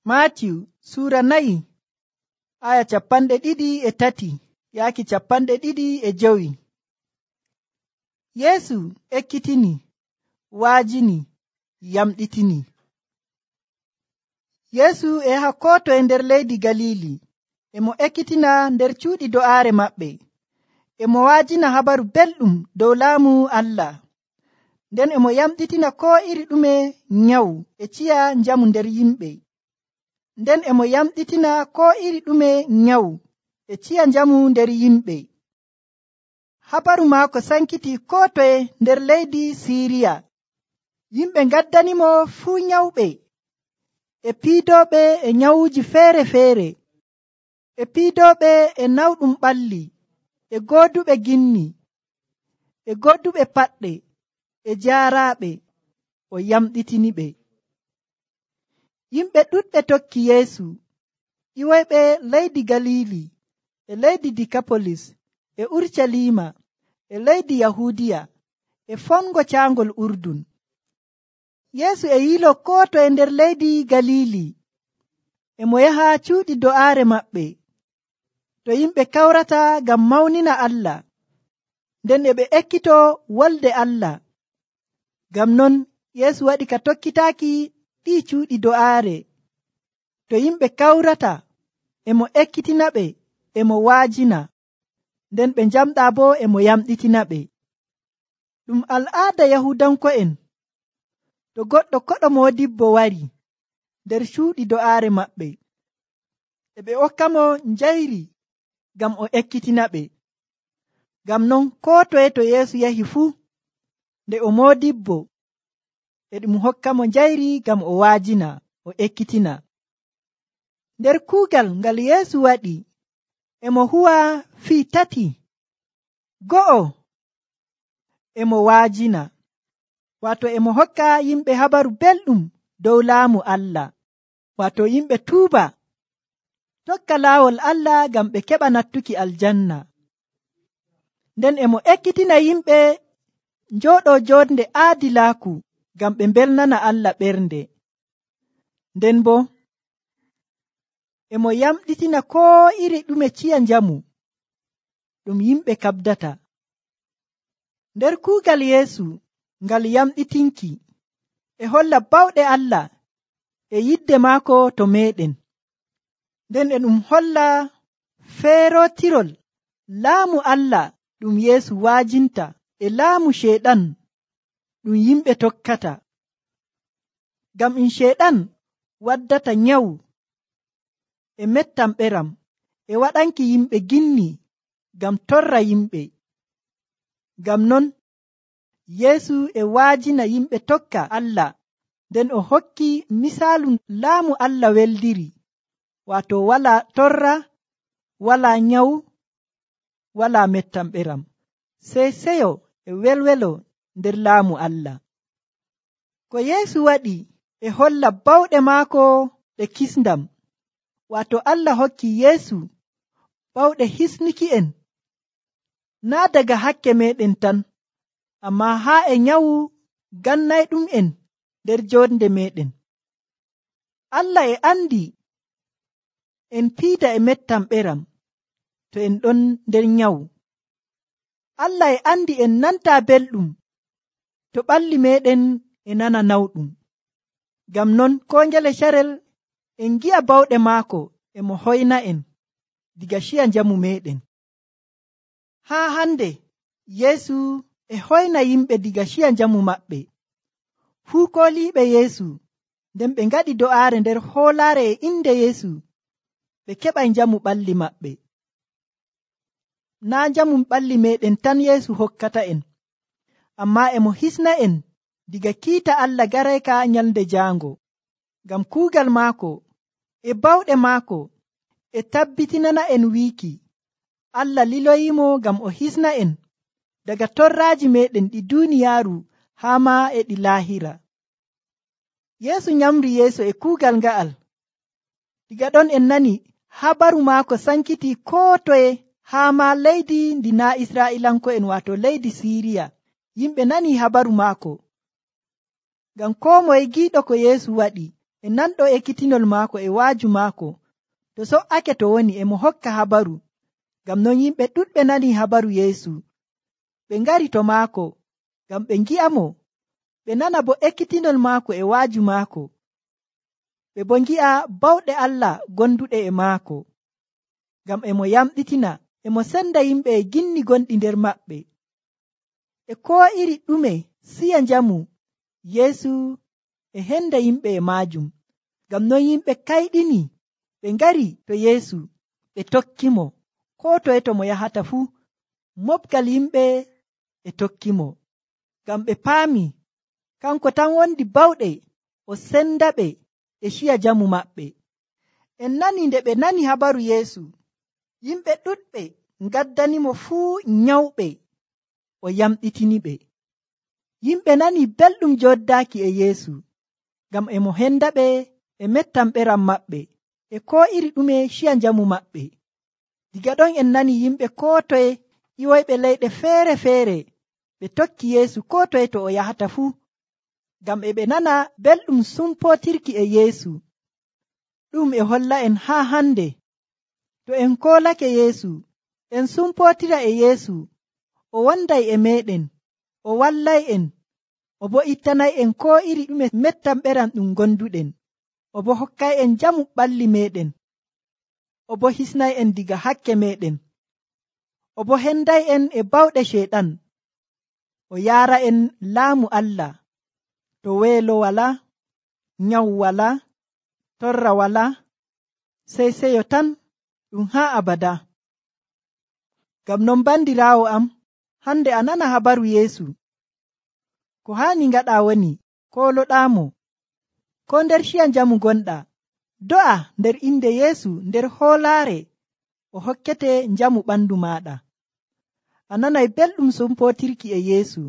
Maatiyu suura 4 aya 23 yaaki 25. Yeesu ekkitini, waajini, yamɗitini. Yeesu e yaha koo toye nder leydi Galili, emo ekkitina nder cuuɗi do'aare maɓɓe, emo waajina habaru belɗum dow laamu Allah. Nden emo yamɗitina koo iri ɗume nyawu e ciya njamu nder yimɓe. Nden emo yamɗitina koo iri ɗume nyawu e ciya njamu nder yimɓe. Habaru maako sankiti koo toye nder leydi Siiriya. Yimɓe ngaddanimo fuu nyawɓe, e piidooɓe e nyawuuji feere-feere, e piidooɓe e nawɗum ɓalli, e gooduɓe ginni, e gooduɓe paɗɗe, e jaaraaɓe, o yamɗitiniɓe. Yimɓe ɗuɗɓe tokki Yeesu, ƴiwoyɓe leydi Galili, e leydi Dikapolis, e Urucaliima, e leydi Yahuudiya, e fongo caangol Urdun. Yeesu e yiloo koo toye nder leydi Galili, emo yaha cuuɗi do'aare maɓɓe, to yimɓe kawrata ngam mawnina Allah, nden e ɓe ekkitoo wolde Allah. Ngam non Yeesu waɗi ka tokkitaaki ɗii cuuɗi do'aare. To yimɓe kawrata, emo ekkitinaɓe, emo waajina, nden ɓe njamɗaa boo emo yamɗitinaɓe. Ɗum al'aada Yahuudanko'en, to goɗɗo koɗo moodibbo wari nder cuuɗi do'aare maɓɓe, e ɓe hokkamo njayri ngam o ekkitinaɓe. Ngam non koo toye to Yeesu yahi fuu, nde o moodibbo, e ɗum hokkamo njayri ngam o waajina, o ekkitina. Nder kuugal ngal Yeesu waɗi, emo huwa fii 3. Go'o, emo waajina, waato emo hokka yimɓe habaru belɗum dow laamu Allah, waato yimɓe tuuba, tokka laawol Allah ngam ɓe keɓa nattuki aljanna. Nden emo ekkitina yimɓe njooɗoo joonde aadilaaku ngam ɓe mbelnana Allah ɓernde. Nden boo emo yamɗitina koo iri ɗume ciya njamu ɗum yimɓe kaɓdata. Nder kuugal Yeesu ngal yamɗitinki e holla bawɗe Allah e yidde maako to meeɗen. Nden e ɗum holla feerootirol laamu Allah ɗum Yeesu waajinta e laamu Ceyɗan ɗum yimɓe tokkata. Ngam Ceyɗan waddata nyawu e mettamɓeram e waɗanki yimɓe ginni ngam torra yimɓe. Ngam non Yeesu e waajina yimɓe tokka Allah, nden o hokki misaalu laamu Allah weldiri, waato walaa torra, walaa nyawu, walaa mettamɓeram, sey seyo e welwelo nder laamu Allah. Ko Yeesu waɗi e holla bawɗe maako ɗe kisndam, waato Allah hokki Yeesu bawɗe hisnuki'en, naa daga hakke meeɗen tan, ammaa haa e nyawu gannayɗum'en nder joonde meeɗen. Allah e andi en piida e mettamɓeram to en ɗon nder nyawu. Allah e andi en nantaa belɗum to ɓalli meeɗen e nana nawɗum. Ngam non koo ngele carel en ngi'a bawɗe maako emo hoyna en diga ciya njamu meeɗen. Haa hande Yeesu e hoyna yimɓe diga ciya njamu maɓɓe. Fuu kooliiɓe Yeesu, nden ɓe ngaɗi do'aare nder hoolaare e inde Yeesu, ɓe keɓay njamu ɓalli maɓɓe. Naa njamu ɓalli meeɗen tan Yeesu hokkata en, ammaa emo hisna en diga kiita Allah garayka nyalnde jaango. Ngam kuugal maako e bawɗe maako e tabbitinana en wiiki Allah liloyimo ngam o hisna en daga torraaji meeɗen ɗi duuniyaaru haa maa e ɗi laahira. Yeesu nyamri yeeso e kuugal nga'al. Diga ɗon en nani habaru maako sankiti koo toye haa maa leydi ndi naa Israa'iilanko'en, waato leydi Siiriya. Yimɓe nani habaru maako, ngam koo moye giiɗo ko Yeesu waɗi e nanɗo ekkitinol maako e waaju maako to so'ake to woni e mo hokka habaru. Ngam non yimɓe ɗuɗɓe nani habaru Yeesu. Ɓe ngari to maako ngam ɓe ngi'amo, ɓe nana bo ekkitinol maako e waaju maako. Ɓe bo ngi'a bawɗe Allah gonduɗe e maako. Ngam e mo yamɗitina, e mo senda yimɓe e ginni gonɗi nder maɓɓe. E koo iri ɗume siya njamu, Yeesu e henda yimɓe e maajum. Ngam non yimɓe kayɗini ɓe ngari to Yeesu ɓe tokkimo. Koo toye to mo yahata fuu, moɓgal yimɓe e tokkimo. Ngam ɓe paami kanko tan wondi bawɗe o sendaɓe e ciya jamu maɓɓe. En nani nde ɓe nani habaru Yeesu, yimɓe ɗuɗɓe ngaddanimo fuu nyawɓe o yamɗitiniɓe. Yimɓe nani belɗum joddaaki e Yeesu, ngam e mo hendaɓe e mettamɓeram maɓɓe e koo iri ɗume ciya njamu maɓɓe. Diga ɗon en nani yimɓe koo toye ƴiwoyɓe leyɗe feere-feere ɓe tokki Yeesu koo toye to o yahata fuu, ngam e ɓe nana belɗum sumpootirki e Yeesu. Ɗum e holla en haa hande, to en koolake Yeesu, en sumpootira e Yeesu, o wonday e meeɗen, o wallay'en, o bo ittanay'en koo iri ɗume mettamɓeram ɗum gonduɗen, o bo hokkay'en jamu ɓalli meeɗen, o bo hisnay'en diga hakke meeɗen, o bo henday'en e bawɗe Ceyɗan, o yaara'en laamu Allah, to weelo walaa, nyawu walaa, torra walaa, sey seyo tan ɗum haa abada. Ngam non bandiraawo am, hande a nana habaru Yeesu. Ko haani ngaɗaa woni kooloɗaamo, ko nder ciya njamu gonɗaa, do'a nder inde Yeesu nder hoolaare o hokkete njamu ɓandu maaɗa. A nanay belɗum sumpootirki e Yeesu.